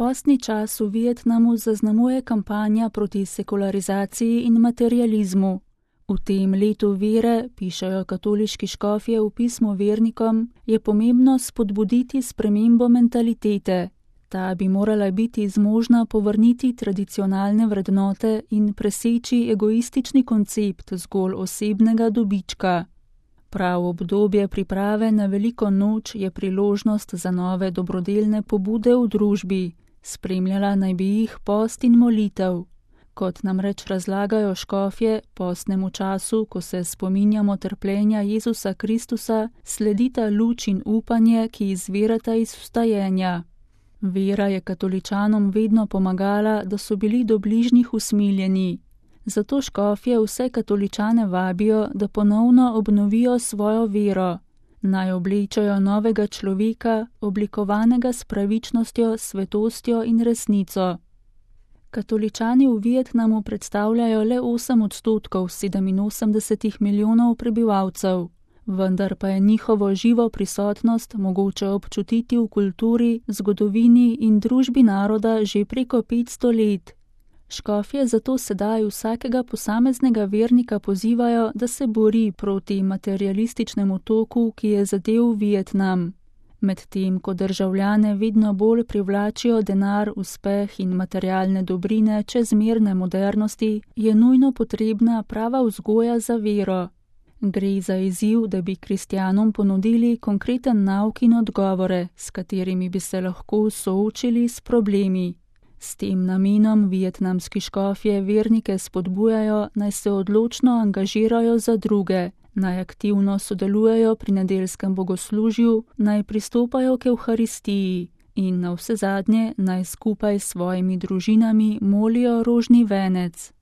Postni čas v Vietnamu zaznamuje kampanja proti sekularizaciji in materializmu. V tem letu vere, pišejo katoliški škofje v pismu vernikom, je pomembno spodbuditi spremembo mentalitete. Ta bi morala biti zmožna povrniti tradicionalne vrednote in preseči egoistični koncept zgolj osebnega dobička. Prav obdobje priprave na veliko noč je priložnost za nove dobrodelne pobude v družbi. Spremljala naj bi jih post in molitev. Kot namreč razlagajo škofje, postnemu času, ko se spominjamo trpljenja Jezusa Kristusa, sledita luč in upanje, ki izvirata iz vstajenja. Vera je katoličanom vedno pomagala, da so bili do bližnjih usmiljeni. Zato škofje vse katoličane vabijo, da ponovno obnovijo svojo vero. Naj oblečajo novega človeka, oblikovanega s pravičnostjo, svetostjo in resnico. Katoličani v Vietnamu predstavljajo le 8% 87 milijonov prebivalcev, vendar pa je njihovo živo prisotnost mogoče občutiti v kulturi, zgodovini in družbi naroda že preko 500 let. Škofje zato sedaj vsakega posameznega vernika pozivajo, da se bori proti materialističnemu toku, ki je zadel Vietnam. Medtem ko državljane vedno bolj privlačijo denar, uspeh in materialne dobrine čezmerne modernosti, je nujno potrebna prava vzgoja za vero. Gre za izziv, da bi kristjanom ponudili konkreten nauk in odgovore, s katerimi bi se lahko soočili s problemi. S tem namenom vietnamski škofje vernike spodbujajo, naj se odločno angažirajo za druge, naj aktivno sodelujejo pri nedeljskem bogoslužju, naj pristopajo k evharistiji in navsezadnje naj skupaj s svojimi družinami molijo rožni venec.